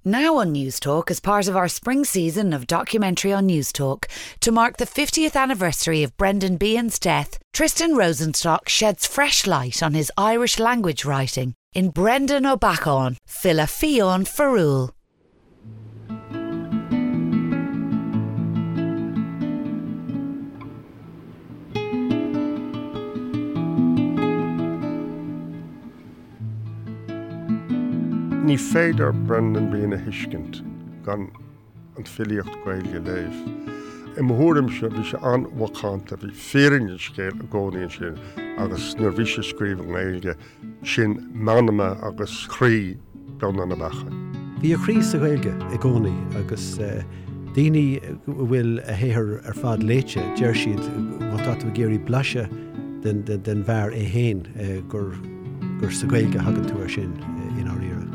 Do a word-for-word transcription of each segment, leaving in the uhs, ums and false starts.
Now on Newstalk, as part of our spring season of documentary on Newstalk, to mark the fiftieth anniversary of Brendan Behan's death, Tristan Rosenstock sheds fresh light on his Irish language writing in Breandán Ó Beacháin, File Fiáin Fearúil. Ní féidir Brendan Behan a thuiscint gan an filíocht Gaeilge a léamh. I mo thuairimse bhí sé an-mhacánta, bhí fírinne an scéil i gcónaí ansin agus nuair bhí sé ag scríobh i nGaeilge, sin meanma agus croí Breandán Ó Beacháin. Bhí a chroí sa Ghaeilge i gcónaí agus daoine a bhfuil a shaothar ar fad léite, deir siad má tá tú ag iarraidh blaiseadh den bhfear é féin gur gur sa Ghaeilge a thagann tú air sin i ndáiríre.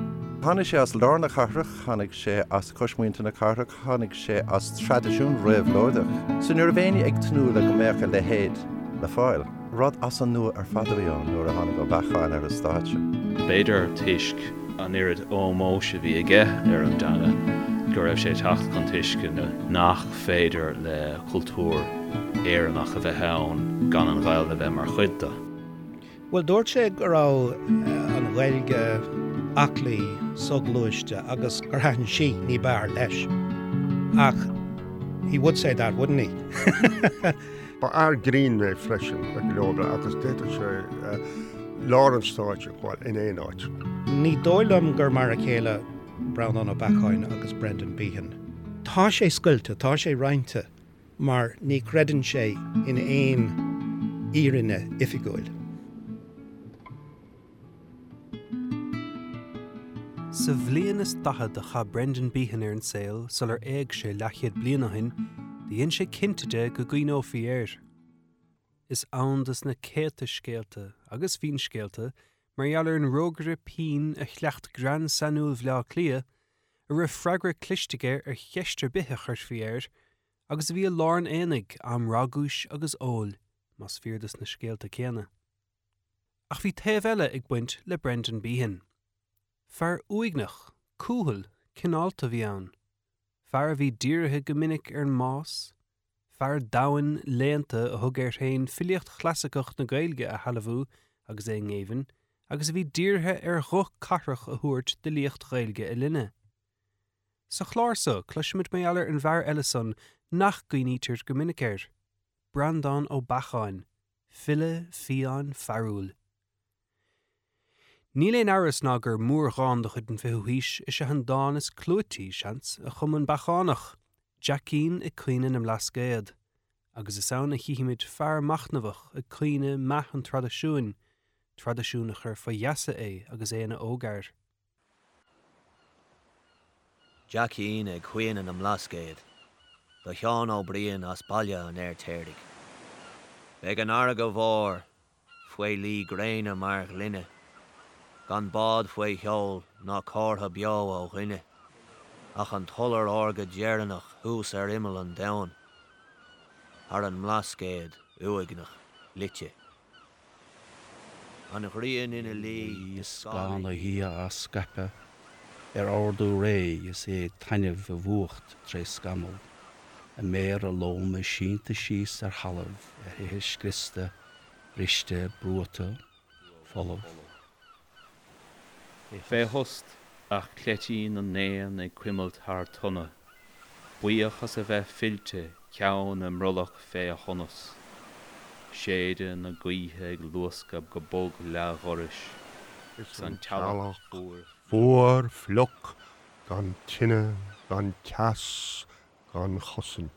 Tháinig sé as lár na cathrach, tháinig sé as cosmuintir na cathrach, tháinig sé as traidisiún réabhlóideach. So ní raibh éinne ag tnúth le go mbeadh a leithéid le fáil. Rud as an nua ar fad a bhí ann nuair a tháinig Ó Beacháin ar an stáitse. B'fhéidir toisc an oiread ómóis a bhí aige ar an dteanga go raibh sé ag teacht chun tuisceana nach féidir le cultúr Éireannach a bheith ann gan an Ghaeilge a bheith mar chuid de. Bhuel, dúirt sé go raibh an Ghaeilge aclaí, soghluaiste agus gur thaitin sí ní b'fhearr leis. Ach he would say that, wouldn't he? Ba fhear grinn é freisin ag go leor agus d'fhéadfadh sé lár an stáitse a ghabháil in aon áit. Ní dóigh liom gur mar a chéile Breandán Ó Beacháin agus Brendan Behan. Tá sé scoilte, tá sé roinnte, mar ní chreideann sé in aon fhírinne oifigiúil. Sa bhliain is daichead a chaith Brendan Behan ar an saol sular éag sé leathchéad bliain ó shin, do dhein sé cinnte de go gcuimhneofaí air. Is ann dos na céadta scéalta agus finscéalta mar gheall ar an rógaire pinn a chleacht greann sainiúil Bhaile Átha Cliath, a raibh freagra cliste aige ar cheist ar bith a chuirfí air, agus a bhí i lár an aonaigh am ragúis agus óil, más fíor dos na scéalta céanna. Ach bhí taobh eile ag baint le Brendan Behan. Fear uaigneach, cúthail, cineálta a bhí ann. Fear a bhí dírithe go minic ar an mbás. Fear domhain, léannta a thug air féin filíocht chlasaiceach na Gaeilge a shealbhú agus é i ngéibheann, agus a bhí dírithe ar ghuth cathrach a thabhairt d'fhilíocht Ghaeilge a linne. Sa chlár so, cloisfimid mar gheall ar an bhfear eile san nach gcuimhnítear go minic air, Breandán Ó Beacháin, file fiáin fearúil. Níl aon amhras ná gur mórdhán de chuid an fichiú haois is ea an dán is clúití, seans, a chum an Beachánach, Jeaicín ag Caoineadh na mBlascaod, agus is ann a chífimid fear machnamhach ag caoineadh meath an traidisiúin, traidisiún a chuir faoi gheasa é agus é ina ógfhear. Jeaicín ag Caoineadh na mBlascaod, do Sheán Ó Briain as Baile an Fheirtéaraigh. Beidh an fharraige mhór faoi luí gréine mar ghloine, gan bád faoi sheol ná comhartha beo ó dhuine, ach an t-iolar órga deireanach thuas ar imeall an domhain, thar an mBlascaod uaigneach loite. An ghrian ina luí is scáth na hoíche á scaipeadh ar ardú réidh is é ag taitneamh i bhfuacht tré scamall, a méara loma sínte síos ar thalamh ar thithe scriosta, briste, brúite, folamh. Fé thost, ach cleití na n-éan ag cuimilt thar tonna, buíoch as a bheith fillte ceann a mbrollach fé shonas, séideadh na gaoithe ag luascadh go bog leathdhorais, 's an teallach fuar fliuch gan tine gan teas gan chosaint.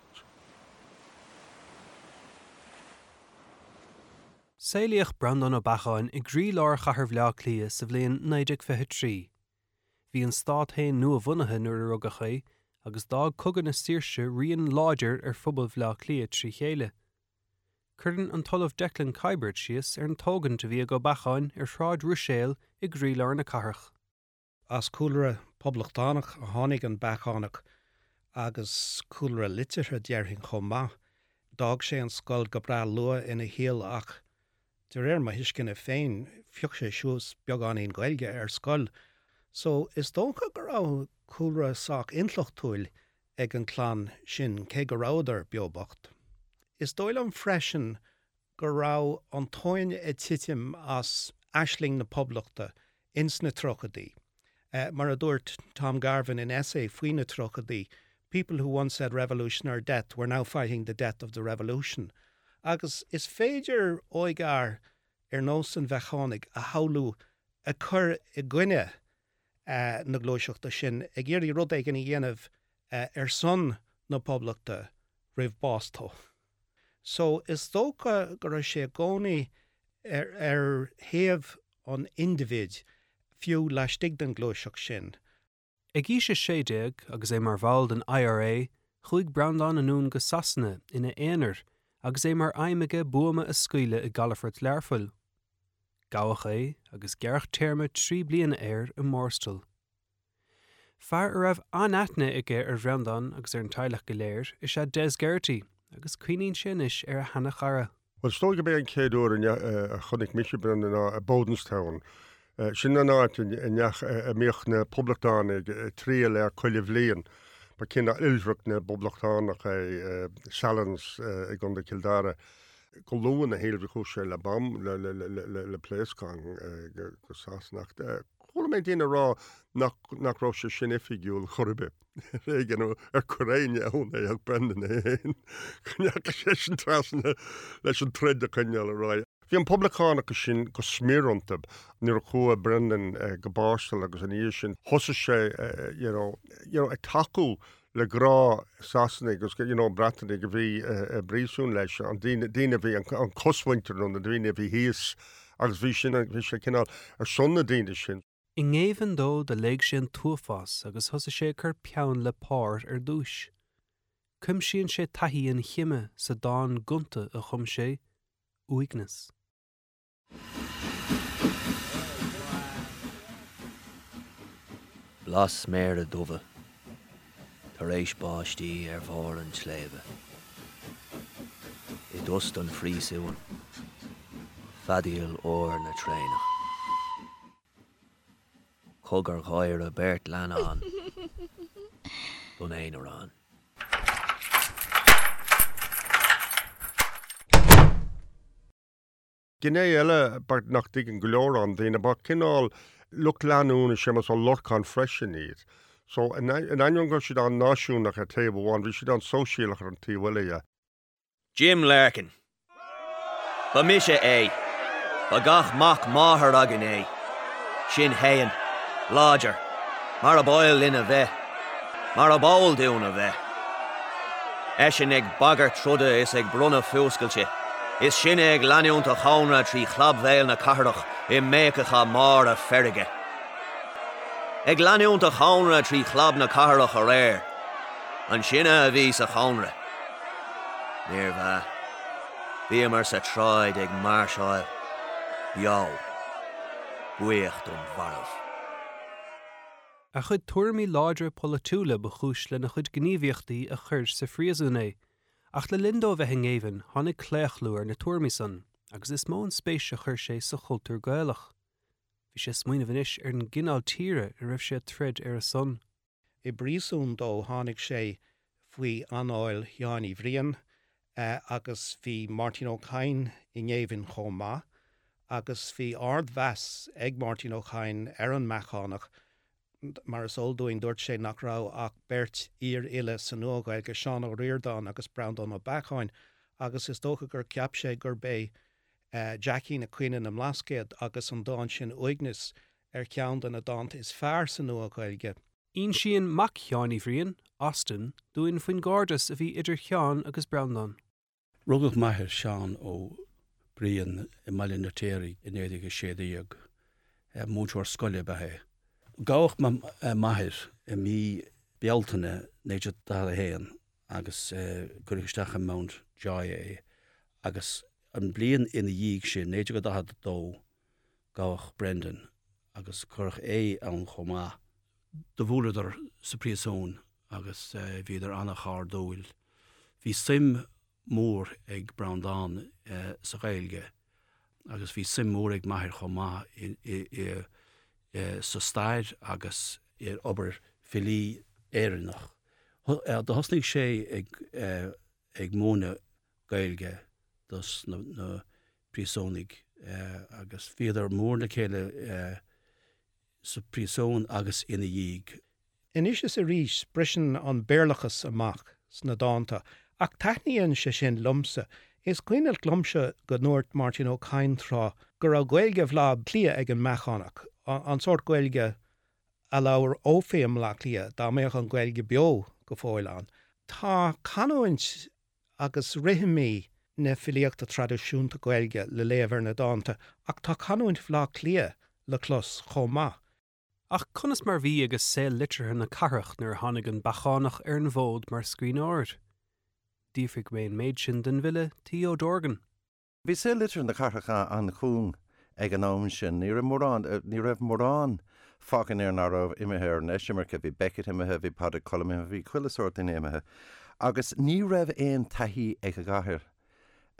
Saolaíodh Breandán Ó Beacháin i gcroílár chathair Bhaile Átha Cliath sa bhliain naoi déag fiche trí. Bhí an stát féin nua-bhunaithe nuair a rugadh é agus d'fhág Cogadh na Saoirse rian láidir ar phobal Bhaile Átha Cliath trí chéile. Cuireann an tOllamh Declan Kiberd síos ar an tógaint a bhí ag Ó Beacháin ar Shráid Ruiséil i gcroílár na cathrach. As cúlra poblachtánach a tháinig an Beachánach agus cúlra liteartha déarfainn chomh maith. D'fhág sé an scoil go breá luath ina shaol ach de réir mo thuisceana féin, phioc sé suas beagáinín Gaeilge ar scoil. So is dócha go raibh cúlra sách intleachtúil ag an clann sin cé go rabhadar beo bocht. Is dóigh liom freisin go raibh an tóin ag titim as aisling na Poblachta ins na tríochaidí. Uh, mar a dúirt Tom Garvin in essay faoi na tríochaidí, people who once said revolution or death were now fighting the death of the revolution. Agus is féidir óigfhear ar nós an Bheachánaigh a shamhlú ag cur i gcoinne uh, na gluaiseachta sin ag iarraidh rud éigin a dhéanamh uh, ar son na Poblachta roimh bás dó. So is dócha go raibh sé i gcónaí ar, ar thaobh an indibhid fiú laistigh den ghluaiseacht sin. Ag aois a sé déag agus é mar bhall den IRA, chuaigh Breandán anonn go Sasana ina aonar agus é mar aidhm aige buama a scaoileadh i gcalafort Learphoill. Gabhadh é agus gearradh téarma trí bliana air i mBorstal. Fear a raibh an-aithne aige ar Bhreandán agus ar an teaghlach go léir is ea Des Geraghty agus cuimhníonn sé anois ar a sheanchara. Well is dóigh gurb é an chéad uair a chonaic mise Brendan ná i Bodenstown. Sin an áit a mbíodh na poblachtánaigh ag triall air chuile bhliain. Ba cineál oilithreacht na bpoblachtánach é Sallins i gContae Chill Dara. Go luath ina shaol bhí chuaigh sé le bom le le le le le pléascán go Sasana. Chuala mé daoine ag rá nach nach raibh sé sin oifigiúil chor ar bith. Éigean ar chuir éinne ann é ach Brendan é féin. Go ndeachaigh sé sin trasna leis an troid a choinneáil ar aghaidh. Bhí an poblachtánachas sin go smior iontu nuair a chuaigh Brendan go Borstal agus ina dhiaidh sin thosaigh sé you know, you know, ag tacú le gnáth-Shasanaigh agus you know, Breatanaigh a bhí i bpríosún leis an daoine daoine a bhí an cosmhuintir nó na daoine a bhí thíos agus bhí sin bhí sé cineál ar son na daoine sin. I ngéibheann dó do léigh sé an t-uafás agus thosaigh sé ag cur peann le pár ar dtús. Cuimsíonn sé taithí an chime sa dán gonta a chum sé, Uaigneas. Blas méara dubha tar éis báistí ar bharr an tsléibhe. I dtost an phríosúin, feadaíl úr na traenach. Cogar gháire beirt leannán don aonarán. Gné eile nach dtuigeann go leor daoine ba cineál lucht leanúna Séamus Ó Lorcáin freisin iad. So in ainneoin go raibh siad an-náisiúnach ar taobh amháin, bhí siad an-sóisialach ar an taobh eile dhe. Jim Larkin. Ba mise é. Ba gach mac máthar againn é. Sinn féin. Láidir. Mar ab áil linn a bheith. Mar ab eol dúinn a bheith. Eisean ag bagairt troda is ag bronnadh fuascailte. Is sinne ag leanúint a chónra trí chlabmhéal na cathrach i mbéiceacha móra feirge. Ag leanúint a chónra trí chlab na cathrach aréir. An sinne a bhí sa chónra. Níorbh ea. Bhíomar sa tsráid ag máirseáil. Beo. Buíoch don mharbh. A chuid tuairimí láidre polaitiúla ba chúis lena chuid gníomhaíochtaí a chuir sa phríosún é. Ach le linn dó bheith i ngéibheann, tháinig claochlú ar na tuairimí san, agus is mó an spéis a chuir sé sa chultúr Gaelach. Bhí sé ag smaoineamh anois ar an gcineál tíre a raibh sé ag troid ar a son. I bpríosún dó tháinig sé faoi anáil Sheáin Uí Bhriain agus bhí Máirtín Ó Cadhain i ngéibheann chomh maith agus bhí ardmheas ag Máirtín Ó Cadhain ar an mBeachánach. Mar is eol dúinn, dúirt sé nach raibh ach beirt fhíorfhile sa Nua-Ghaeilge, Seán Ó Ríordáin agus Breandán Ó Beacháin, agus is dócha gur cheap sé gurb é Jeaicín ag Caoineadh na mBlascaod agus an dán sin Uaigneas ar cheann de na dánta is fearr sa Nua-Ghaeilge. Insíonn mac Sheáin Uí Bhriain, Austin, dúinn faoin gcairdeas a bhí idir Sheán agus Breandán. Rugadh m'athair Seán Ó Briain i mBaile an Fheirtéaraigh i naoi déag a sé déag. Múinteoir scoile ab ea é. Gabhadh m'athair i mí Bealtaine naoi déag daichead a haon agus cuireadh isteach i Mount Joy é agus an bliain ina dhiaidh sin, naoi déag daichead a dó, gabhadh Brendan agus cuireadh é ann chomh maith. Do bhuaileadar sa phríosún agus bhíodar an-chairdiúil. Bhí suim mhór ag Breandán sa Ghaeilge agus bhí suim mhór ag m'athair chomh maith sa stair agus ar obair filí Éireannach. Do thosnaigh sé ag ag múineadh Gaeilge dos na na príosúnaigh agus bhíodar mór le chéile sa príosún agus ina dhiaidh. Anois is arís briseann an Béarlachas amach sna dánta, ach taitníonn sé sin liomsa. Is cuimhneach liomsa go ndúirt Máirtín Ó Cadhain tráth go raibh Gaeilge Bhaile Átha Cliath ag an mBeachánach, an sórt Gaeilge a labhrófaí i mBaile Átha Cliath dá mbeadh an Ghaeilge beo go fóill ann. Tá canúint agus rithimí na filíochta traidisiúnta Gaeilge le léamh ar na dánta, ach tá canúint Bhaile Átha Cliath le clos chomh maith. Ach conas mar bhí agus saol liteartha na cathrach nuair a tháinig an Beachánach ar an bhfód mar scríbhneoir? D'fhiafraigh mé an méid sin den bhfile T. O'Dorgan. Bhí saol liteartha na cathrach an-chúng ag an am sin. Ní raibh mórán, ní raibh mórán fágtha in Éirinn nach raibh imithe ar an eisimirce. Bhí Beckett imithe, bhí Pádraic Colum imithe, bhí chuile sórt duine imithe. Agus ní raibh aon taithí ag an gcathair,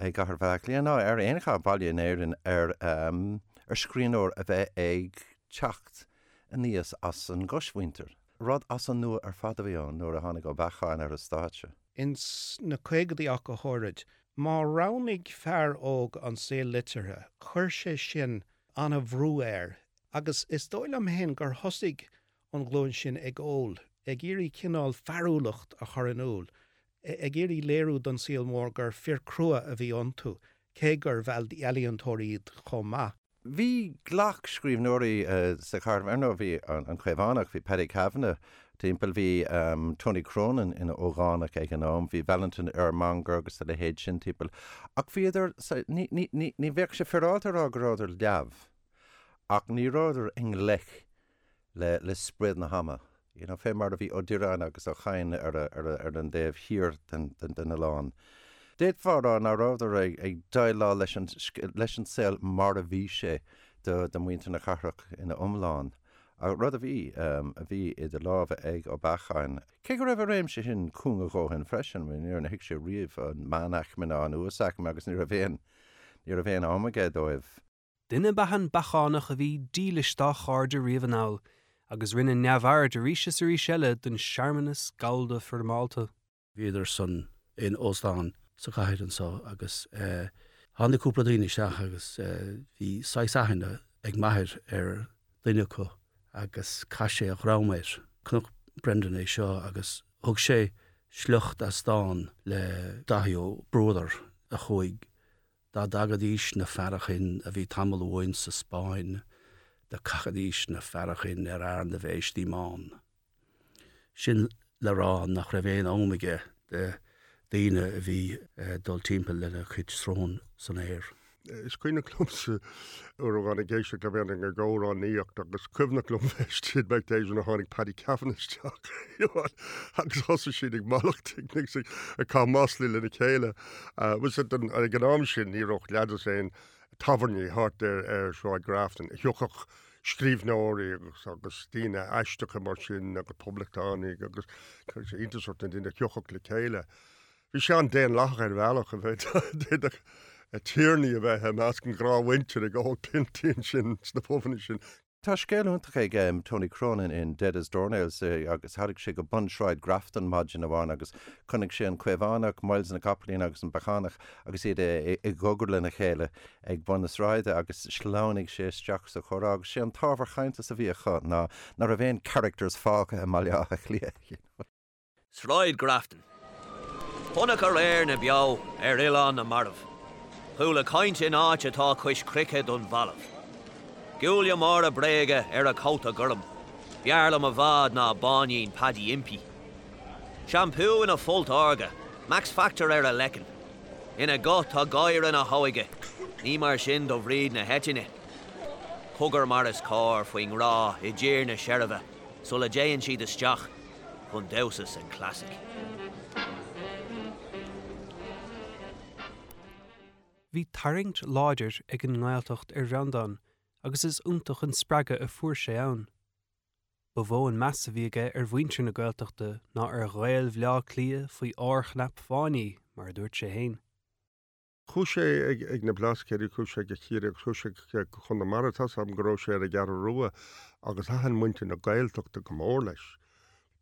ag gcathair Bhaile Átha Cliath ná ar aon chathair baile in Éirinn ar, ar scríbhneoir a bheith ag teacht aníos as an gcoismhuintir. Rud as an nua ar fad a bhí ann nuair a tháinig Ó Beacháin ar an stáitse. Ins na caogaidí ach go háirid, má roghnaigh fear óg an saol liteartha, chuir sé sin an-bhrú air agus is dóigh liom féin gur thosaigh an ghlúin sin ag ól, ag iarraidh cineál fearúlacht a chur in iúl, ag iarraidh léiriú don saol mór gur fir crua a bhí iontu, cé gurbh ealaíontóirí iad chomh maith. Bhí glac scríbhneoirí sa chathair, ar ndóigh bhí an Caomhánach, bhí Paddy Kavanagh timpeall, bhí Tony Cronin ina ógánach ag an am, bhí Valentin Ermongher agus a leithéid sin timpeall. Ach bhíodar, ní, ní, ní, ní bheadh sé féaráilte a rá go rabhadar leamh, ach ní rabhadar i ngleic le, le sprid na hama. You know, fé mar a bhí Ó Direáin agus Ó Cadhain ar, a, ar, a, ar an dtaobh thiar den, den, den oileán. D'fhéadfá a rá nach rabhadar ag, ag déileáil leis an, leis an saol mar a bhí sé do, do mhuintir na cathrach ina iomlán. Rud a bhí, um, a bhí idir lámha ag Ó Beacháin. Cé go raibh a réimse sin cúng a dhóthain freisin, níor thuig sé riamh an meánaicme ná an uasaicme agus ní raibh aon, ní raibh aon am aige dóibh. Duine ab ea an Beachánach a bhí dílis dá chairde riamh anall, agus rinne neamhaird arís is arís eile den searmanas gallda foirmeálta. Bhíodar san in óstán sa chathair anseo agus tháinig cúpla daoine isteach agus bhí saghas aithne ag m'athair ar dhuine acu agus chaith sé a dhroim air. Chonaic Brendan é seo agus thug sé sliocht as dán le Daithí Ó Bruadair a chuaigh Dá dtagaidís na fearachain a bhí tamall uainn sa Spáinn, do chaithidís na fearachain ar fhear na bhféistí mbán. Sin le rá nach raibh aon am aige do daoine a bhí ag dul timpeall lena chuid srón san aer. Is cuimhneach liomsa uair amháin ag éisteacht le Brendan ag amhránaíocht agus cuimhneach liom bheith istigh back days nuair a tháinig Paddy Kavanagh isteach agus thosaigh siad ag mallacht ag ag caitheamh maslaí lena chéile. Was it ag an am sin ní raibh leaids aon tábhairní thart ar ar Sráid Grafton. Thiocfadh scríbhneoirí agus agus daoine aisteacha mar sin agus poblachtánaigh agus chuir sé iontas ort na daoine a thiocfadh le chéile. Bhí sé an-daonlathach ar bhealach a bheith d'fhéadfadh tiarnaí a bheith i measc an ghnáthmhuintir ag ól piontaí ansin sna pubanna sin. Tá scéal iontach ag Tony Cronin in Dead as Doornails agus tháinig sé go bun Shráid Grafton maidin amháin agus chonaic sé an Caomhánach, Myles na gCopaleen agus an Beachánach agus iad i gcogar lena chéile ag bun na sráide agus shleamhnaigh sé isteach sa chomhrá agus sé an t-ábhar cainte a bhí acu ná nach raibh aon characters fágtha i mBaile Átha Cliath. Sráid Grafton. Chonac aréir na beo ar oileán na marbh. Chuala caint in áit atá cois cnoic don bhalbh. Giúile mára bréige ar a cóta gorm, B'fhearr liom i bhfad ná báinín Paddy Impey. Seampú ina folt órga, Max Factor ar a leiceann. Ina guth tá gáire na hóige, ní mar sin do Bhríd na hEitinne. Cogar mar is cóir faoin ngrá i dtír na seirbhe sula dtéann siad isteach chun damhsa san Classic. Bhí tarraingt láidir ag an nGaeltacht ar Bhreandán agus is iontach an spreagadh a fuair sé ann. Ba mhó an meas a bhí aige ar mhuintir na Gaeltachta ná ar Ghaeil Bhaile Átha Cliath faoi órchnap fáinní, mar a dúirt sé féin. Chuaigh sé ag, ag na Blascaodaí, chuaigh sé go Ciarraí agus chuaigh sé go Conamara, tá 's agam go raibh sé ar an gCeathrú Rua agus thaitin muintir na Gaeltachta go mór leis.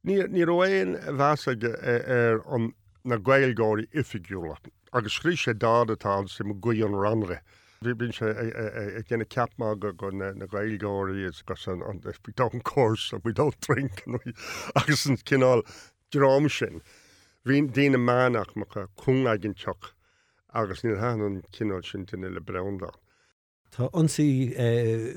Ní ní raibh aon mheas aige ar an na Gaeilgeoirí oifigiúla, agus scríobh sé dán atá ansin Guí an Rannaire. Bhí bíonn sé ag déanamh ceap magaidh de na Gaeilgeoirí agus an an we don't curse and we don't drink and we agus an cineál dream sin. Bhí daoine meánaicmeacha cúngaigeantach agus níor thaitin an cineál sin duine le Breandán. Tá ionsaí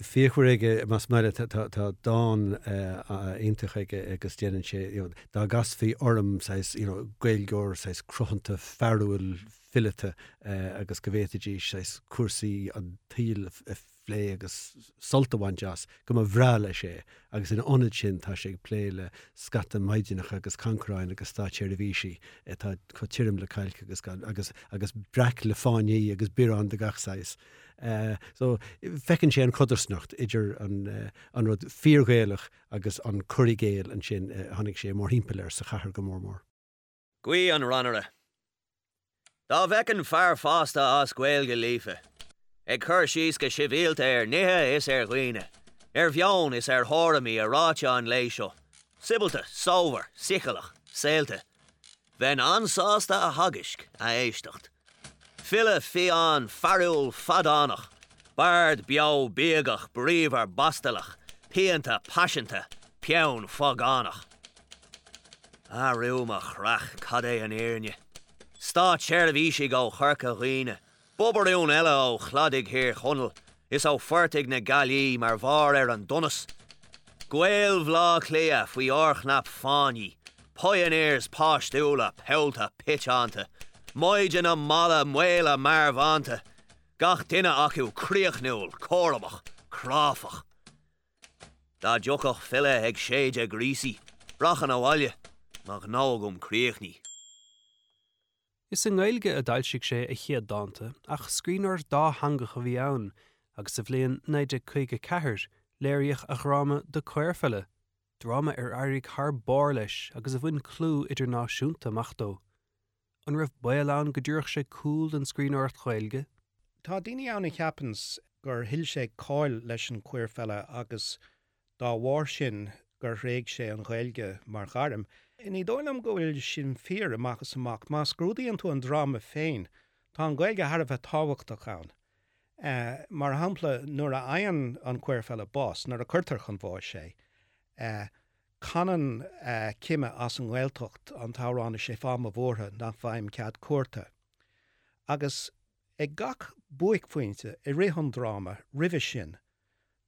fíochmhar aige más maith leat tá dán iontach aige agus déanann sé dá gcasfaí orm saghas you know, Gaeilgeoir saghas cruthanta fearúil fileata agus go bhféadfaidís saghas cúrsaí an tsaoil a phlé agus sult a bhaint as go mba bhreá leis é agus ina ionad sin tá sé ag plé le scata maighdeanacha agus cancaráin agus státseirbhísigh atá chomh tirim le cailc agus agus agus breac le fáinní agus bioráin de gach saghas. Uh, so feiceann sé an chodarsnacht idir an, uh, an rud fíorGhaelach agus an cur i gcéill ansin uh, tháinig sé mórthimpeall air sa chathair go mór mór. Guí an Rannaire. Dá bhfeicfinn fear fásta as Gaeilge líofa, ag cur síos go sibhialta ar nithe is ar dhaoine, ar mheon is ar thuairimí a ráite an lae seo, Sibhialta, sómhar, soicheallach, saolta, Bheinn an-sásta a theagasc a éisteacht. File fiáin fearúil fadánach, Bard beo bíogach bríomhar bastalach, pianta paiseanta, peann phágánach. Arú mo chreach cad é an fhírinne. Státseirbhísigh ó Chorca Dhuibhne, Bobarún eile ó chladaigh Thír Chonaill, is ó phortaigh na Gaillimhe mar bharr ar an donas. Gaeil Bhaile Átha Cliath faoi fhorchnap fáinní, Pioneers páistiúla pollta pitánta, Maighdeana malla maola marbhánta, gach duine acu críochnúil, cúramach, cráifeach. Dá dtiocfadh file ag séideadh gríosaí, rachainn abhaile, mo ghnó agam críochnaithe. Is i nGaeilge a d'fhoilsigh sé a chéad dánta ach scríbhneoir dátheangach a bhí ann, agus sa bhliain naoi déag caoga ceathair léiríodh a dhráma The Queerfella, dráma ar éirigh thar barr leis agus a bhain clú idirnáisiúnta amach dó. An raibh baol ann go dtabharfadh sé cúl don scríbhneoireacht Ghaeilge? Tá daoine ann a cheapanns gur thuill sé cáil leis an Queerfella agus dá bharr sin gur thréig sé an Ghaeilge mar ghairm. Ní dóigh liom go bhfuil sin fíor amach is amach, má scrúdaíonn tú an dráma féin, tá an Ghaeilge thar a bheith tábhachtach ann. Uh, mar shampla nuair a fhaigheann an Queerfella bás, nuair a cuirtear chun bháis é, uh, canann uh, cime as an nGaeltacht an t-amhrán is é fáth mo bhuartha nach bhfaighim cead cuairte. Agus ag gach buaicphointe i rith an dráma roimhe sin,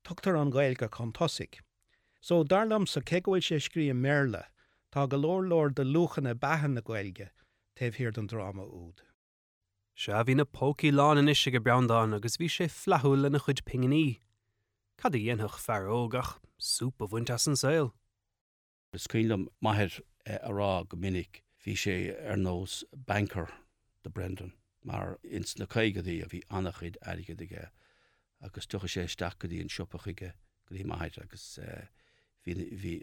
tugtar an Ghaeilge chun tosaigh. So dar liomsa cé go bhfuil sé scríte i mBéarla, tá go leor leor de luachanna beatha na Gaeilge taobh thiar den dráma úd. Sea bhí na pócaí lán anois ag Breandán agus bhí sé flaithiúil lena chuid pinginí. Cad a dhéanfadh fear óg ach súp a bhaint as an saol? Is cuimhin liom m'athair a rá go minic bhí sé ar nós banker do Brendan mar ins na caogaidí a bhí an-chuid airgid aige agus tiocfaidh sé isteach go dtí an siopa chuige go dtí m'athair agus bhí bhí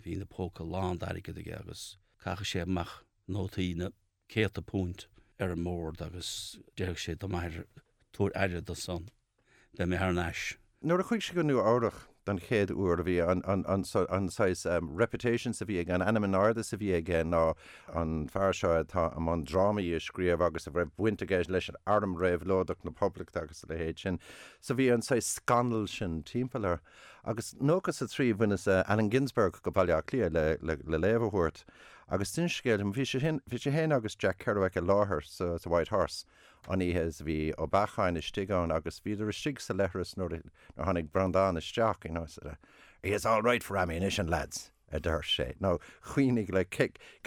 bhí na póca lán d'airgead aige agus chaitheadh sé amach nótaí na céadta punt ar an mbord agus déarfadh sé do m'athair tabhair aire dó san beidh mé thar n-ais. Nuair a chuaigh sé go Nua-Eabhrac don chéad uair a bhí an an an an saghas um, reputations a bhí ag an ainm in airde a bhí aige ná an fear seo atá i mbun drámaí a scríobh agus a raibh baint aige leis an arm réabhlóideach na Poblachta agus a leithéid sin. So bhí an saghas scannal sin timpeall air. Agus nócha a trí bhaineas uh, Allen Ginsberg go Baile Átha Cliath le, le, le léamh a thabhairt. Agus sin scéal bhí sé bhí sé féin agus Jack Kerouac i láthair sa, sa White Horse an oíche is bhí Ó Beacháin istigh ann agus bhíodar istigh sa leithreas nuair a tháinig Breandán isteach you know, said, he is all right for ammunition lads a deir sé. Nó chuoinigh le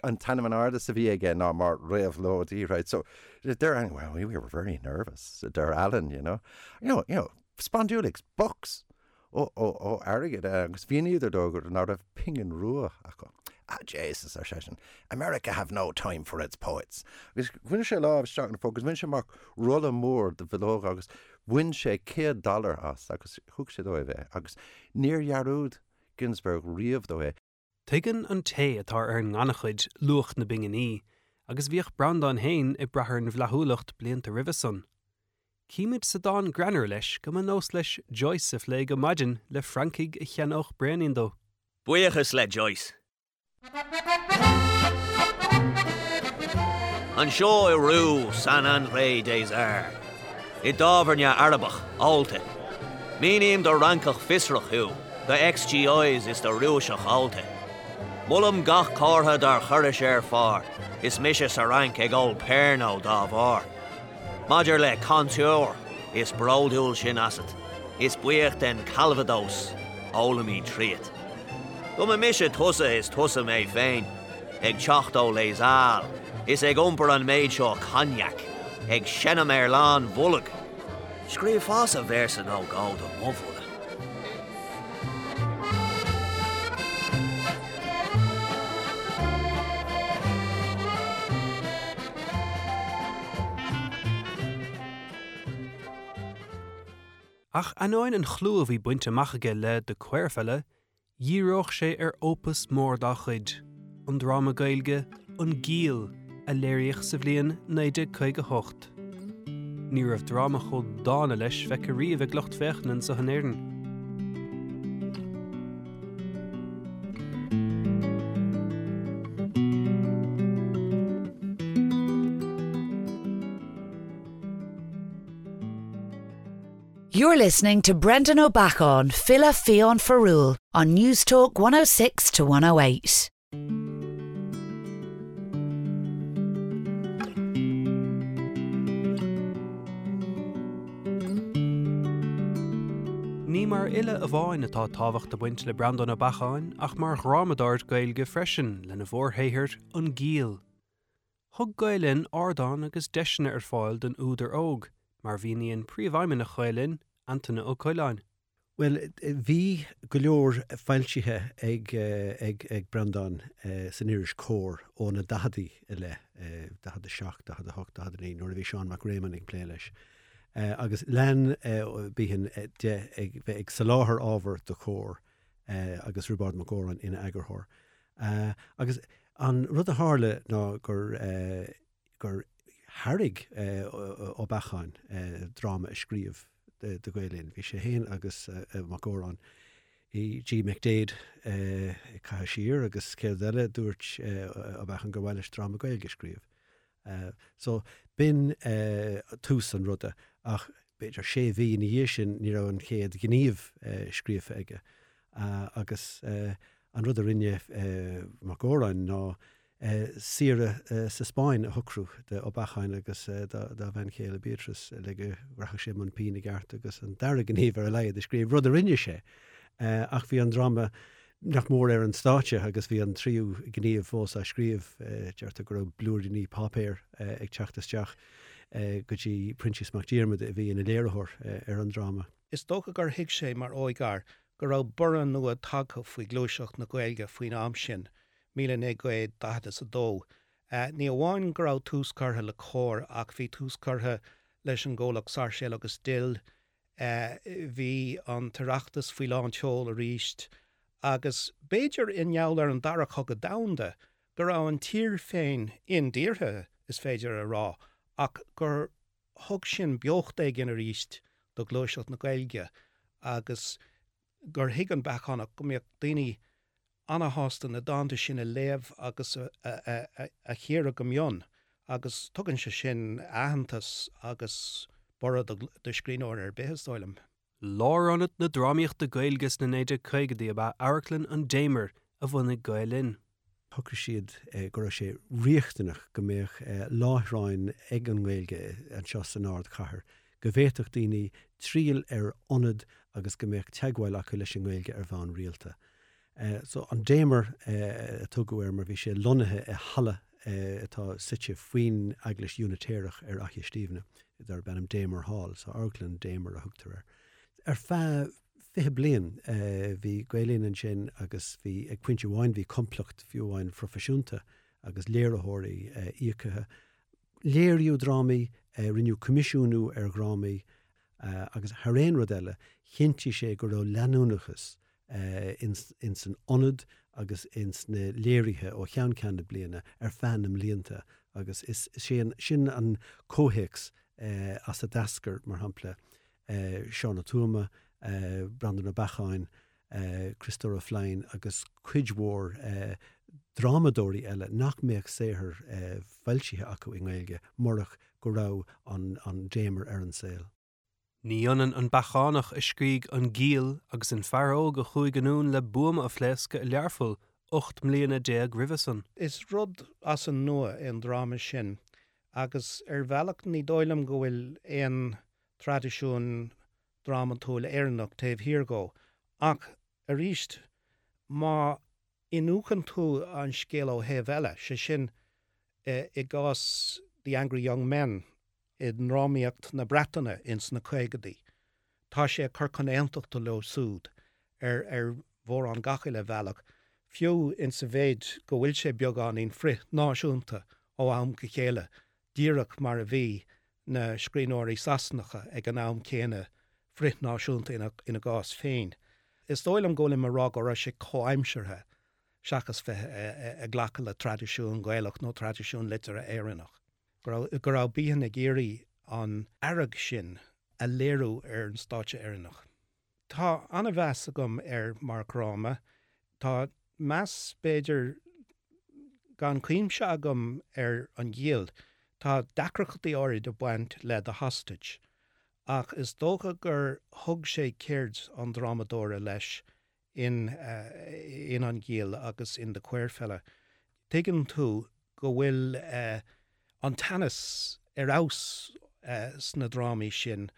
an t-ainm in airde a bhí aige ná mar réabhlóidí right so deir well we were very nervous deir Allen you know you know you know spondulics bucks ó ó ó airgead agus mhíníodar dó gur ná raibh pingin rua acu. Ah Jesus ar seisean America have no time for its poets. Agus bhain sé lámh isteach na agus bhain sé amach rolla mór de bhileoga agus bhain sé céad dollar as agus thug sé dóibh é agus níor dhearúd Ginsberg riamh dó é. Tuigeann an té atá ar an ngannchuid luach na bpinginí, agus bhíodh Breandán féin ag brath ar an bhflaithiúlacht blianta roimhe san. Címid sa dán greannmhar leis go mba nós leis Joyce a phlé go maidin le Francaigh a cheannódh braonín dó. Buíochas le Joyce. Anseo i Rue Saint-André des Arts, i dtábhairne Arabach ólta. Míním do Fhrancach fiosrach thú, do ex-GIs is do Rúiseach allta. Molaim gach comhartha dár chuiris ar phár, is mise sa Fhrainc ag ól Pernod dá bharr. Maidir le contour, is bródúil sinn asat, is buíoch den Calvados, ólaimid tríot. Go mba mise tusa is tusa mé féin, ag teacht ó Les Halles, is ag iompar an méid seo cognac, ag seinm ar lán bholg. Scríobhfása véarsa nó dhó do mo bhuille. Ach ainneoin an chlú a bhí bainte amach aige le The Queer Fella, dhíreodh sé ar opus mór dá chuid, an dráma Gaeilge, An Giall, a léiríodh sa bhliain naoi déag caoga a hocht. Ní raibh dráma chomh dána leis feicthe riamh ag lucht féachana anseo in Éirinn. You're listening to Brendan Ó Beacháin, File Fiáin Fearúil on Newstalk one oh six to one oh eight. Ní mar fhile amháin atá tábhacht ag baint le Breandán Ó Beacháin ach mar dhrámadóir Gaeilge freisin lena mhórshaothar An Giall. Thug Gael Linn ardán agus deiseanna ar fáil don údar óg, mar mhíníonn príomhfheidhmeannach Ghael Linn, Antaine Ó Coileáin. Well, bhí go leor foilsithe ag, ag, ag Breandán san iris Comhar ó na daicheadaí i leith, daichead a seacht, daichead a hocht, daichead a naoi, nuair a bhí Seán Mac Réamoinn ag plé leis. Agus lean Behan de ag bheith ag soláthar ábhar do Comhar agus Roibeárd Mac Góráin ina eagarthóir. Agus an rud a tharla ná gur, gur thairg Ó Beacháin dráma a scríobh do Ghael Linn. Bhí sé féin agus Mac Góráin i G. McDaid ag caitheamh siar agus céard eile dúirt Ó Beacháin gur mhaith leis dráma Gaeilge a scríobh. So b'in tús an ruda, ach b'fhéidir sé mhí ina dhiaidh sin ní raibh an chéad ghníomh scríofa aige. Agus an rud a rinne Mac Góráin ná saoire sa Spáinn a shocrú do Ó Beacháin agus dá bhean chéile Beatrice le go rachadh sé i mbun pinn i gceart agus an dara gníomh ar a laghad a scríobh, rud a rinne sé. Ach bhí an dráma nach mór ar an stáitse agus bhí an tríú gníomh fós á scríobh, deirtear go raibh blúiríní páipéir ag teacht isteach go dtí Proinsias Mac Diarmada a bhí ina léiritheoir ar an dráma. Is dócha gur thuig sé mar óigfhear go raibh borradh nua tagtha faoi ghluaiseacht na Gaeilge faoin am sin, míle naoi gcéad daichead is a dó. Ní amháin go raibh tús curtha le Comhar ach bhí tús curtha leis an gcomhlacht Sáirséal agus Dill, bhí an tOireachtas faoi lán tseoil arís, agus b'fhéidir i ngeall ar an dara cogadh domhanda go raibh an tír féin indíortha, is féidir a rá, ach gur thug sin beocht éigin arís do ghluaiseacht na Gaeilge agus gur thuig an Beachánach go mbeadh daoine ana-shásta na dánta sin a léamh agus a chíoradh go mion, agus tugann sé sin aitheantas agus borradh do scríbhneoir ar bith, is dóigh liom. Lárionad na drámaíochta Gaeilge sna naoi déag caogaidí ab ea Amharclann an Damer a bhunaigh Gael Linn. Shocraigh siad go raibh sé riachtanach go mbeadh láithreáin ag an nGaeilge anseo san ardchathair, go bhféadfadh daoine triall ar ionad agus go mbeadh teagmháil acu leis an nGaeilge ar bhonn rialta. So an Damer a tugadh air mar bhí sé lonnaithe i halla atá suite faoin Eaglais Unitéireach ar Fhaiche Stiabhna, darb ainm Damer Hall, so Amharclann Damer a thugtar air. Ar feadh fiche bliain bhí Gael Linn ansin agus bhí ag pointe amháin bhí complacht fiú amháin phroifisiúnta agus léiritheoirí íocaithe. Léiríodh drámaí, rinneadh coimisiúnú ar dhrámaí agus thar aon rud eile, chinntigh sé go raibh leanúnachas ins an ionad agus ins na léirithe ó cheann ceann na bliana ar feadh na mblianta, agus is sin an comhthéacs as a d'eascair, mar shampla, Seán Ó Tuama, Breandán Ó Beacháin, Criostóir Ó Floinn agus cuid mhór drámadóirí eile nach mbeadh saothar foilsithe acu i nGaeilge murach go raibh an an Damer ar an saol. Ní ionann an Beachánach a scrígh An Giall agus an fear óg a chuaigh anonn le buama a phléascadh i Learpholl ocht mbliana déag roimhe san. Is rud as an nua é an dráma sin agus ar bhealach ní dóigh liom go bhfuil aon traidisiún drámatúil Éireannach taobh thiar dhó. Ach arís, má iniúchann tú an scéal ó thaobh eile, sé sin i gcás The Angry Young Men i ndrámaíocht na Breataine ins na caogaidí, tá sé ag cur chun aontachta leo siúd ar ar mhórán gach uile bhealach, fiú insa mhéid go bhfuil sé beagáinín frith-náisiúnta ó am go chéile, díreach mar a bhí na scríbhneoirí Sasanacha ag an am céanna frith-náisiúnta ina ina gcás féin. Is dóigh liom go bhfuilim ag rá go raibh sé comhaimseartha seachas bheith ag glacadh le traidisiún Gaelach nó traidisiún liteartha Éireannach. Go raibh go raibh Behan ag iarraidh an fhearg sin a léiriú ar an stáitse Éireannach. Tá an-mheas agam air mar dhráma. Tá meas b'fhéidir gan cuimse agam ar An Giall. Tá deacrachtaí áirid ag baint le The Hostage, ach is dócha gur thug sé ceird an drámadóra leis in in An Giall agus in The Queer Fella. Tuigeann tú go bhfuil an teannas ar fheabhas sna drámaí sin,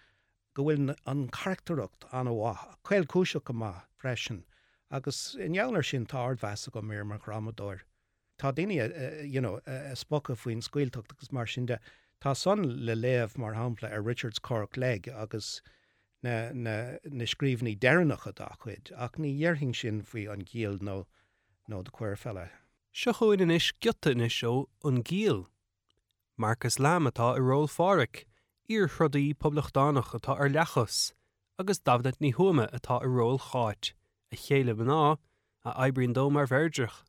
go bhfuil an charactaracht an-mhaith, caolchúiseach go maith freisin, agus i ngeall air sin tá ardmheas agam air mar dhrámadóir. Tá daoine you know ag spochadh faoin scaoilteacht agus mar sin de. Tá san le léamh mar shampla ar Richard's Cork Leg agus na na na scríbhinní deireanacha dá chuid, ach ní dhéarfainn sin faoi An Giall nó nó The Queer Fella. Seo chugainn anois giota anois ó An Giall. Marcus Lamb atá i ról Phádhraic, iar-throdaí poblachtánach atá ar leathchos, agus Damhnait Ní Thuama atá i ról Cháit, a chéile mná, a oibríonn dó mar mheirdreach.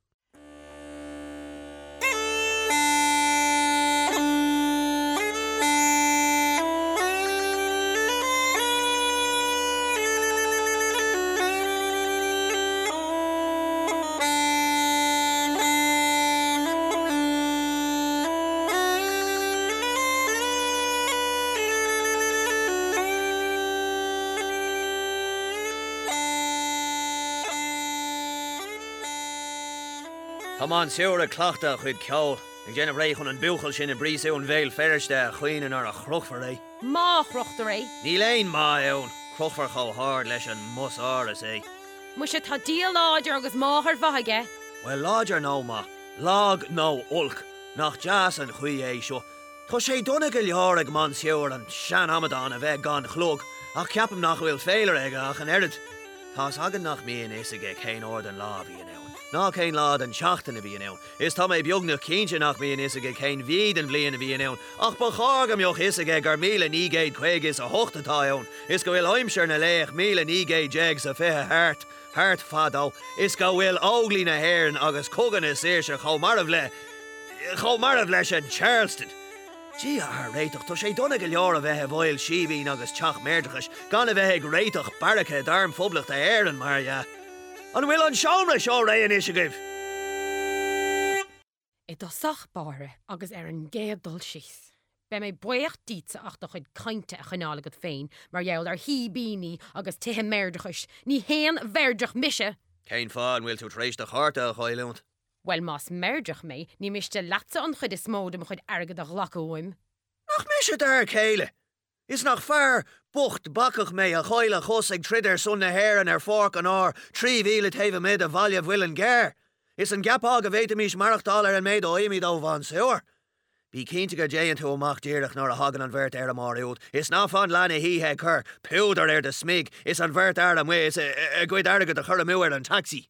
Tá Mansour ag cleachtadh a chuid ceoil, ag déanamh réidh chun an buachaill sin i bpríosún Bhéal Feirste a chaoineadh nuair a chrochfar é. Má chrochtar é. Níl aon má ann, crochfar chomh hard leis an mbusáras é. Muise tá Dia láidir agus máthair mhaith aige. Bhuel, láidir nó maith, lag nó olc, nach deas an chaoi é seo. Tá sé dona go leor ag Mansour an sean-amadán a bheith gan chlog, ach ceapaim nach bhfuil féilire aige ach an oiread. Tá's againn nach mbíonn fhios aige cén uair den lá a bhíonn ann, ná cén lá den tseachtain a bhíonn ann, is tá mé beagnach cinnte nach mbíonn fhios aige cén mhí den bhliain a bhíonn ann, ach ba chóir go mbeadh fhios aige gur míle naoi gcéad caoga is a hocht atá ann, is go bhfuil aimsir na laoch míle naoi gcéad déag 's a fiche thart, thart fadó, is go bhfuil Óglaigh na hÉireann agus Cogadh na Saoirse chomh marbh le, chomh marbh leis an Charleston. Dia ár réiteach, tá sé dona go leor a bheith i bhfeighil síbín agus teach meirdreachais gan a bheith ag réiteach beairice d'Arm Phoblachta Éireann, mar dhea. An bhfuil an seomra seo réidh anois agaibh? I dtosach báire agus ar an gcéad dul síos, beidh mé buíoch díotsa as do chuid cainte a choinneáil agat féin mar gheall ar shíbíní agus tithe meirdreachais, ní haon mheirdreach mise! Cén fáth an bhfuil tú tar éis do chárta a chailliúint? Bhuel, más meirdreach mé, ní miste leatsa an chuid is mó de mo chuid airgid a ghlacadh uaim. Nach mise d'fhear céile? Is nach fear bocht bacach mé a chaill a chos ag troid ar son na hÉireann ar pháirc an áir trí mhíle taobh amuigh de bhaile Mhuileann gCearr? Is an gceapfá go bhféadfaimis maireachtáil ar an méid a fhaighimid ó Mhansour? Bí cinnte go dtéann tú amach díreach nuair a thagann an bheirt fheirmeoir úd, is ná fan leath na hoíche ag cur púdair ar do smig is an bheirt fhear amuigh is a gcuid airgid a chur amú ar an taxi.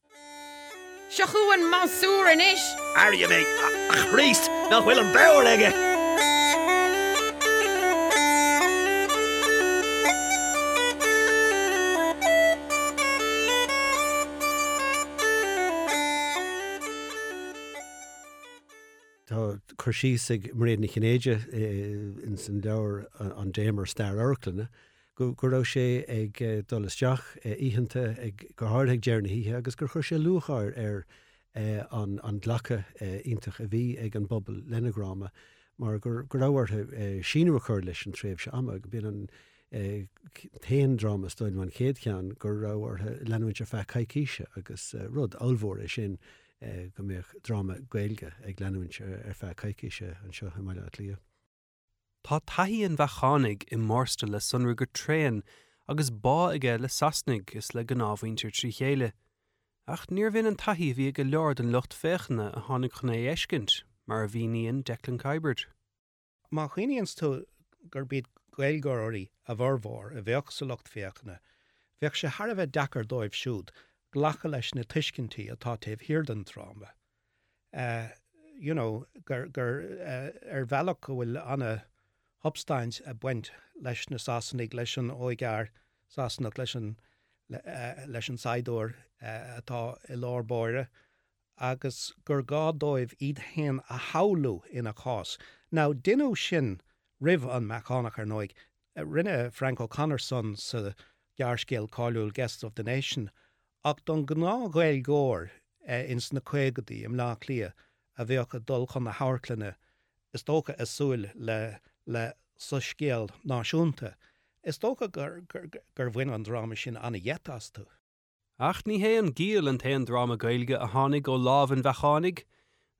Seo chugainn Mansour anois! Airím é, a Chríost, nach bhfuil an bodhar aige! Tá cur síos ag Mairéad Ní Chinnéide ins an leabhar An Damer Stair Amharclainne go go raibh sé ag dul isteach oícheanta ag go háirithe ag deireadh na hoíche agus gur chuir sé lúcháir ar an an glacadh iontach a bhí ag an bpobal lena dhráma mar gur go raibh orthu síneadh a chur leis an tréimhse ama go b'in an t-aon dráma is dóigh liom an chéad cheann go raibh orthu leanúint ar feadh coicíse agus rud ollmhór é sin go mbeadh dráma Gaeilge ag leanúint ar feadh coicíse anseo i mBaile Átha Cliath. Tá taithí an Bheachánaigh i mBorstal le sonrú go tréan agus bá aige le Sasanaigh is le gnáthmhuintir trí chéile. Ach níorbh in an taithí a bhí ag go leor den lucht féachana a tháinig chun é a fheiscint, mar a mhíníonn Declan Kiberd. Má chuimhníonn tú gurb iad Gaeilgeoirí a bhformhór a bheadh sa lucht féachana, bheadh sé thar a bheith deacair dóibh siúd glacadh leis na tuiscintí atá taobh thiar den dráma. You know, gur, gur ar bhealach go bhfuil ana-shubstaint ag baint leis na Sasanaigh, leis an óigfhear Sasanach, leis an, leis an saighdiúir atá i lár báire, agus gur gá dóibh iad féin a shamhlú ina chás. Now, deineadh sin roimh an mBeachánach, ar ndóigh. Rinne Frank O'Connor san sa ghearrscéal cáiliúil Guests of the Nation, ach don ghnáth-Ghaeilgeoir ins na caogaidí i mBleá Cliath a bheadh ag dul chun na hamharclainne, is dócha ag súil le le soiscéal náisiúnta, is dócha gur gur bhain an dráma sin ana-gheit astu. Ach ní hé An Giall an t-aon dráma Gaeilge a tháinig ó lámh an Bheachánaigh.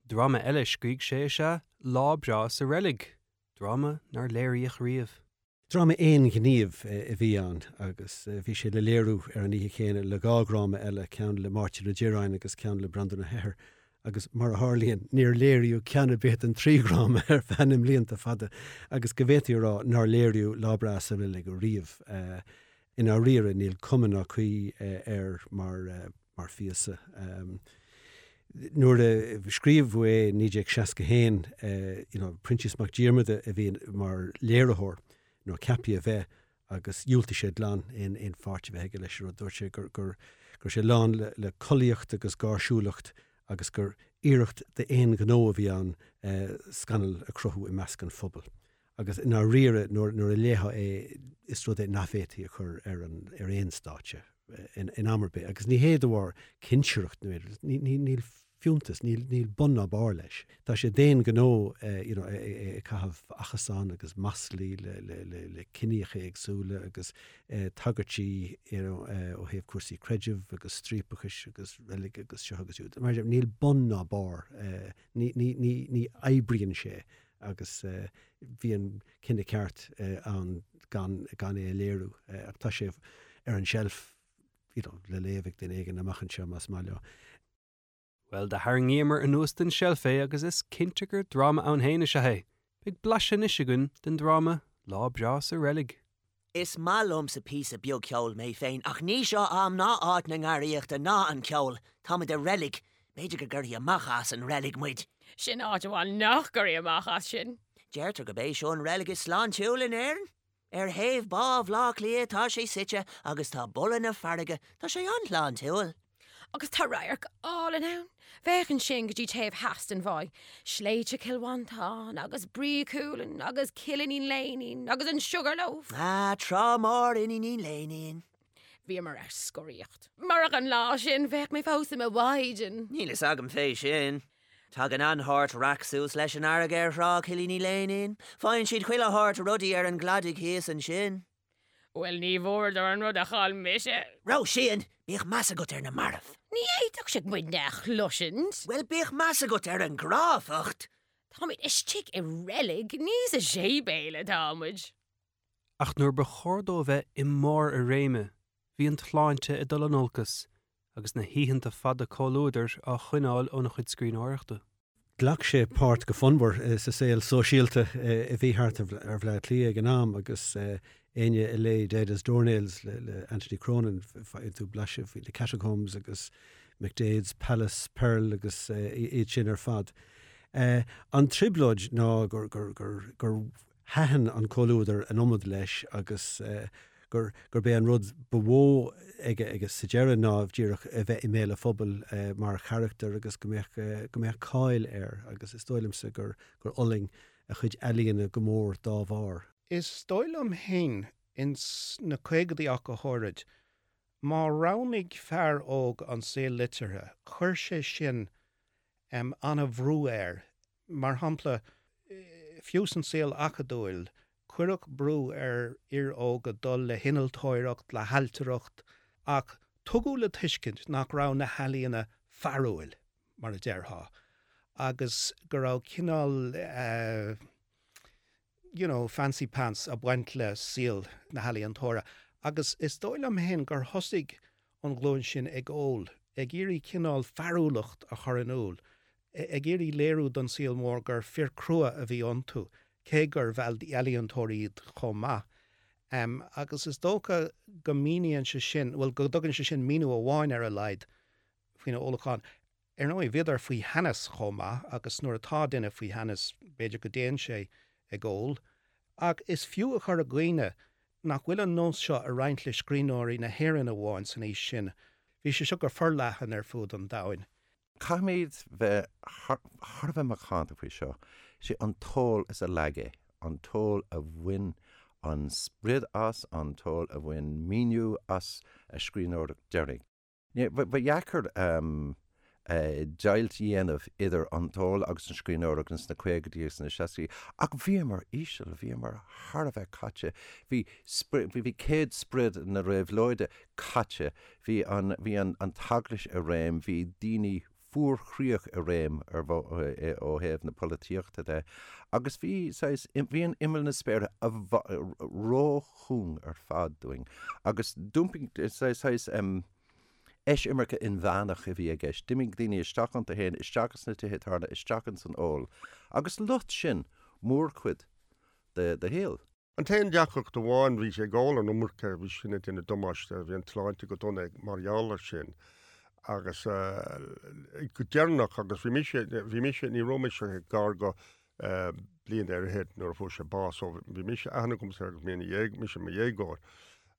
Dráma eile a scrígh sé is ea Lá Breá sa Reilig, dráma nár léiríodh riamh. Dráma aon ghníomh a bhí ann agus bhí sé le léiriú ar an oíche chéanna le dhá dhráma eile, ceann le Máirtín Ó Direáin agus ceann le Breandán Ó hEithir, agus mar a tharlaíonn, níor léiríodh ceann ar bith den trí dhráma ar feadh na mblianta fada agus go bhféadfaí a rá nár léiríodh Lá Breá sa Reilig riamh. I ndáiríre níl cuma ná caoi air mar mar phíosa. Nuair a scríobhadh é i naoi déag seasca a haon, you know, Proinsias Mac Diarmada a bhí mar léiritheoir, nó ceaptha a bheith, agus dhiúltaigh sé glan aon aon pháirt a bheith aige leis an rud. Dúirt sé gur gur go raibh sé lán le le collaíocht agus gáirsiúlacht agus gur iarracht d'aon ghnó a bhí ann scannal a chruthú i measc an phobail. Agus i ndáiríre nuair nuair a léifeá é is rud é nach bhféadfaí a chur ar an ar aon stáitse in in am ar bith. Agus ní hé de bharr cinsireacht nó ní ní níl fiúntas, níl níl bun ná barr leis. Tá sé d'aon ghnó you know ag caitheamh achasán agus maslaí le le le le ciníocha éagsúla agus tagairtí you know ó thaobh cúrsaí creidimh agus striapachais agus reilig agus seo agus siúd. Mar níl bun ná barr, ní ní ní ní oibríonn sé agus bhí an cinneadh ceart ann gan gan é a léiriú. Ach tá sé ar an tseilf you know le léamh ag duine éigin amach anseo más maith leo. Bhuel, do tharraingíomar anuas den tseilf é agus is cinnte gur dráma ann féin is ea é. Beidh blaiseadh anois againn den dráma Lá Breá sa Reilig. Is maith liomsa píosa beag ceoil mé féin, ach ní seo am ná áit na ngarraíochta ná an ceol. Táimid i reilig. B'fhéidir go gcuirfí amach as an reilig muid. Sin áit amháin nach gcuirfí amach as sinn. Deirtear gurb é seo an reilig is sláintiúla in Éirinn. Ar thaobh Bá Bhaile Átha Cliath tá sé suite agus tá boladh na farraige, tá sé an-shláintiúil. Agus tá radharc álainn ann. Féach ansin go dtí taobh theas den bháigh. Sléibhte Chill Mhantáin agus Brí Cualann agus Cill Iníon Léinín agus an Sugar Loaf. Ah, Trá Mhór Iníon Léinín. Bhíomar ar scoraíocht. Murach an lá sin bheadh mé fós i mo mhaighdean. Níl fhios agam fé sin. Tagann an-shórt raic suas leis an fharraige ar Thrá Chill Iníon Léinín. Faigheann siad chuile shórt rudaí ar an gcladach thíos ansin. Bhuel, ní bhfuaireadar an rud a chaill mise. Róisín, bíodh meas agat ar na mairbh. Ní fhéadfadh siad muidne a chloisint. Bhuel, bíodh meas agat ar an gcráifeacht. Táimid istigh i reilig, ní sa séipéal atá muid. Ach nuair ba chóir dó a bheith i mbarr a réime, bhí an tsláinte ag dul in olcas agus na hoícheanta fada comhluadair á choinneáil óna chuid scríbhneoireachta. Ghlac sé páirt go fonnmhar sa saol sóisialta a bhí thart ar Bhaile Átha Cliath ag an am agus éinne a léigh Dead as Doornails le Anthony Cronin, faigheann tú blaiseadh faoi na Catacombs agus McDaid's Palace, Pearl agus iad sin ar fad. An trioblóid ná gur gur thaitin an comhluadar an iomad leis agus gur gurb é an rud ba mhó aige aige sa deireadh ná díreach a bheith i mbéal an phobail mar charachtar agus go mbeadh go mbeadh cáil air agus is dóigh liomsa gur gur fhulaing a chuid ealaíona go mór dá bharr. Is dóigh liom féin ins na caogaidí ach go háirid, má roghnaigh fear óg an saol liteartha, chuir sé sin An-bhrú air. Mar shampla, fiú san saol acadúil, cuireadh brú ar fhir óga dul le hinnealtóireacht, le hailtireacht, ach tugadh le tuiscint nach raibh na healaíona fearúil, mar a déarfá, agus go raibh cineál uh, you know, fancy pants ag baint le saol na healaíontóra. Agus is dóigh liom féin gur thosaigh an ghlúin sin ag ól, ag iarraidh cineál fearúlacht a chur in iúl, ag iarraidh léiriú don saol mór gur fir crua a bhí iontu, cé gurbh ealaíontóirí iad chomh maith. Um, agus is dócha go míníonn sé sin, well go dtugann sé sin míniú amháin ar a laghad faoina ólachán. Ar ndóigh bhíodar faoi theannas chomh maith agus nuair atá duine faoi theannas b'fhéidir go dtéann sé ag ól, ach is fiú a chur i gcuimhne nach bhfuil an nós seo ag roinnt le scríbhneoirí na hÉireann amháin san aois sin. Bhí sé seo go forleathan ar fud an domhain. Caithfimid bheith thar a bheith macánta faoi seo. Sé an t-ól is a leag é, an t-ól a bhain an sprid as, an t-ól a bhain míniú as a scríbhneoireacht deiridh. Ba dheacair deighilt a dhéanamh idir an t-ól agus an scríbhneoireacht ins na caogaidí agus na seascaidí, ach bhíomar íseal, bhíomar thar a bheith caite, bhí bhí céad sprid na réabhlóide caite, bhí an bhí an an t-eaglais i réim, bhí daoine fuarchroíoch i réim ar ó thaobh na polaitíochta de, agus bhí saghas bhí an imeall na spéire róchúng ar fad dúinn, agus d'iompaigh saghas eisimirce inmheánach a bhí i gceist. D'imigh daoine isteach iontu féin, isteach sna tithe tábhairne, isteach ins an ól. Agus loit sin mórchuid de de shaol. An t-aon deacracht amháin bhí sé ag ól an iomarca, bhí sin ag déanamh damáiste, bhí an tsláinte go dona mar gheall air sin. Agus go deireanach agus bhí mise, bhí mise, ní raibh mise gar go bliain ar fhichead nuair a fuair sé bás, so bhí mise aithne agamsa air agus mé ina dhéag, mise i mo dhéagóir.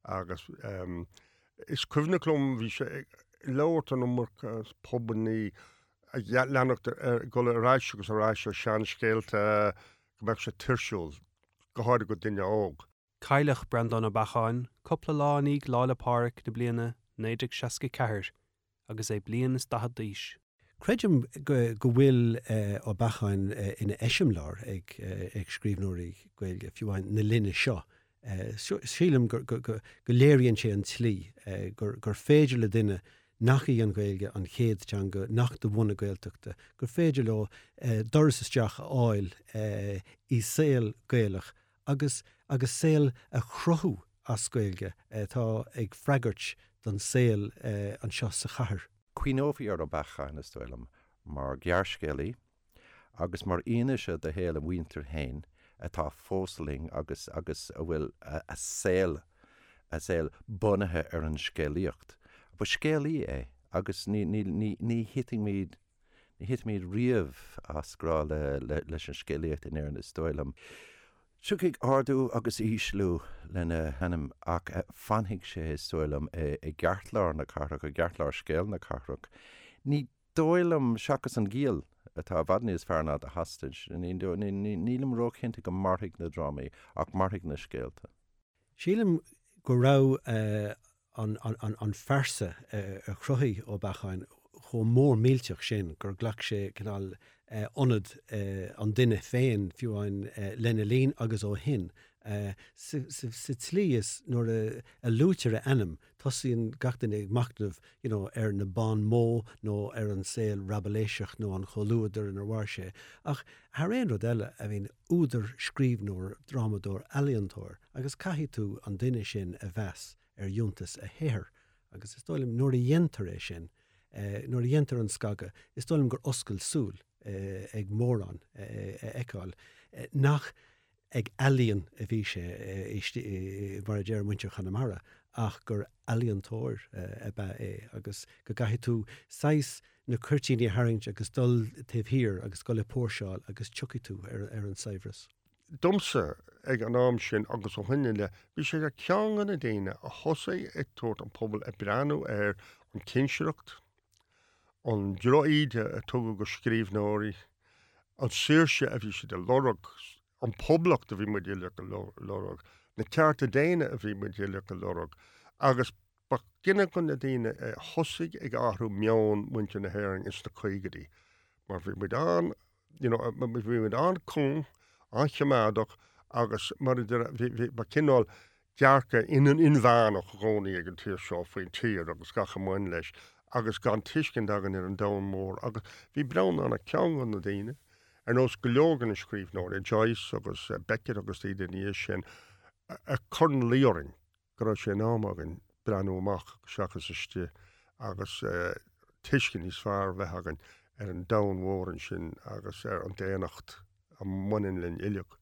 Agus Is cuimhneach liom, bhí sé ag labhairt an iomarca as pubannaí, ag leanacht ar, dul ar ais agus ar ais ar seanscéalta, go mbeadh sé tuirsiúil, go háirithe do dhuine óg. Cailleadh Breandán Ó Beacháin cúpla lá i ndiaidh Lá 'le Pádraig na bliana naoi déag seasca ceathair agus é bliain is daichead d'aois. Creidim go bhfuil Ó Beacháin ina eiseamláir ag scríbhneoirí Gaeilge, fiú amháin na linne seo. Sílim go léiríonn sé an tslí gur féidir le duine nach í an Ghaeilge an chéad teanga, nach de bhunadh Gaeltachta, gur féidir leo doras isteach a fháil i saol Gaelach agus agus saol a chruthú as Gaeilge atá ag freagairt don saol anseo sa chathair. Cuimhneofaí ar Ó Beacháin, is dóigh liom, mar ghearrscéalaí agus mar fhianaise do shaol a mhuintir féin atá fós linn agus agus a bhfuil a saol a saol bunaithe ar an scéalaíocht. Ba scéalaí é agus ní ní ní ní thitfimid ní thitfimid riamh as grá le le leis an scéalaíocht in Éirinn is dóigh liom. Tiocfaidh ardú agus ísliú lena hainm ach fanfaidh sé is dóigh liom i gceartlár na cathrach, i gceartlár scéal na cathrach. Ní dóigh liom, seachas an Giall, atá i bhfad níos fearr ná The Hostage, nílim róchinnte go mairfidh na drámaí ach mairfidh na scéalta. Sílim go raibh an phearsa a chruthaigh Ó Beacháin chomh mór millteach sin gur ghlac sé cineál ionad an duine féin, fiú amháin lena linn agus ó shin. Sa tslí is nuair a luaitear a ainm, tosaíonn gach duine ag machnamh you know ar na bons mots nó ar an saol raibiléiseach nó an chomhluadar inar mhair sé. Ach thar aon rud eile, I mean, údar, scríbhneoir, drámadóir, ealaíontóir, agus caithfidh tú an duine sin a mheas ar fhiúntas a shaothair. Agus is dóigh liom nuair a dhéantar é sin, nuair a dhéantar an scagadh, is dóigh liom gur oscail súil ag mórán a fheiceáil nach ag ealaíon a bhí sé, mar a deir muintir Chonamara, ach gur ealaíontóir ab ea é agus go gcaithfidh tú saghas na cuirtíní a tharraingt agus dul taobh thiar agus dul ag póirseáil agus tiocfaidh tú ar an saibhreas. Domsa, ag an am sin agus ó shin i leith, bhí sé ar cheann de na daoine a thosaigh ag tabhairt an pobal ag breathnú ar an chinsireacht, an drochíde a tugadh do scríbhneoirí, an saoirse a bhí siad a lorg, an poblacht a bhí muid uilig a lorg, na cearta daonna a bhí muid uilig a lorg agus ba duine de na daoine a thosaigh ag athrú meon muintir na hÉireann ins na caogaidí. Mar bhí muid an you know, bhí muid an-chúng, an-choimeádach agus mar ba cineál dearcadh in an inmheánach i gcónaí ag an tír seo faoin tír agus gach a mbain leis agus gan tuiscint againn ar an domhan mór agus bhí Breandán ar cheann de na daoine, ar nós go leor de na scríbhneoirí, Joyce agus Beckett agus iad ina dhiaidh sin, a chuir ina luí orainn go raibh sé in am againn breathnú amach seachas istigh agus tuiscint níos fearr a bheith againn ar an domhan mhór ansin agus ar an daonnacht a mbaineann linn uilig.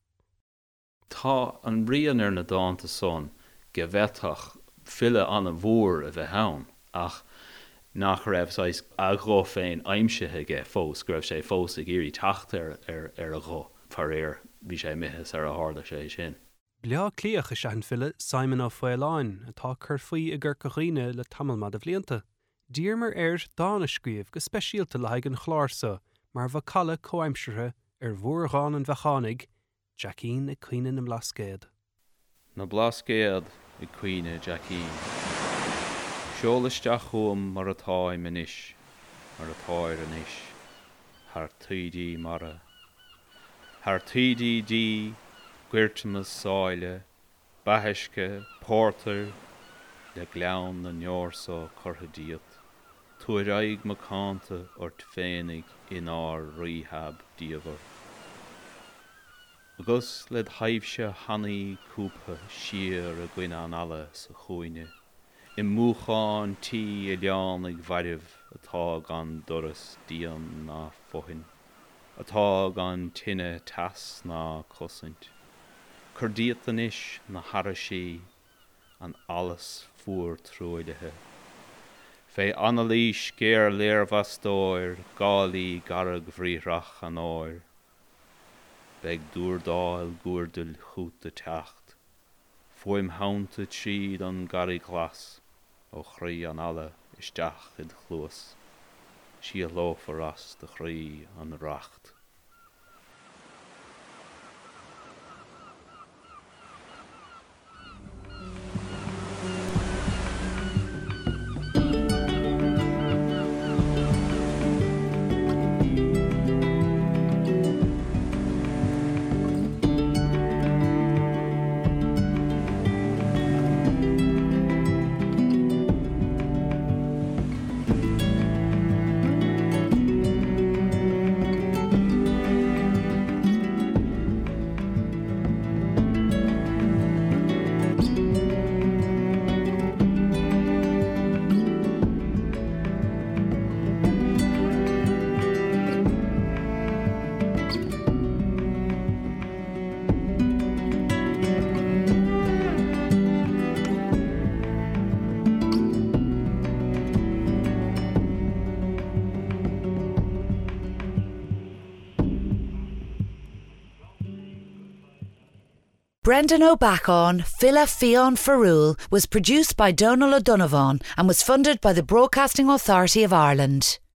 Tá an rian ar na dánta san go bhféadfadh file an-mhór a bheith ann ach nach raibh saghas a ghuth féin aimsithe aige fós, go raibh sé fós ag iarraidh teacht ar ar a ghuth. Faraor, bhí sé imithe sar a tharla sé sin. Bleá Cliathach is ea an file Simon Ó Faoláin, atá ag cur faoi i gCorca Dhuibhne le tamall maith de bhlianta. D'iarramar air dán a scríobh go speisialta le haghaidh an chláir seo mar mhacalla comhaimseartha ar mhórdhán an Bheachánaigh, Jackín ag Caoineadh na mBlascaod. Na Blascaod ag caoineadh Jackín. Seol isteach chugam mar atáim anois, mar atáir anois, thar taoidí mara. Thar taoidí dí, Goirteanna sáile, beathuisce, pórtar, le gleann na ndeor so curtha díot, tabhair aghaidh mhacánta ort féinig inár rítheab diamhair. Agus led thaibhse thanaí cúbtha siar i gcoinne an fhalla sa chúinne, i múchán tí oileánaigh mhairbh atá gan doras, díon ná fothain, atá gan tine, teas ná cosaint. Cuir díot anois na haraisí, an allas fuar truaillithe. Fé anailís ghéar léirmheastóir gálaí gairgbhriathrach an áir, beidh dúrdáil guairdill chugat ag teacht, fuaim theannta tríd an gcarraig ghlas, ó chroí an fhalla isteach id chluas, síothlófar as do chroí an racht. Brendan Ó Beacháin, File Fiáin Fearúil was produced by Donal O'Donovan and was funded by the Broadcasting Authority of Ireland.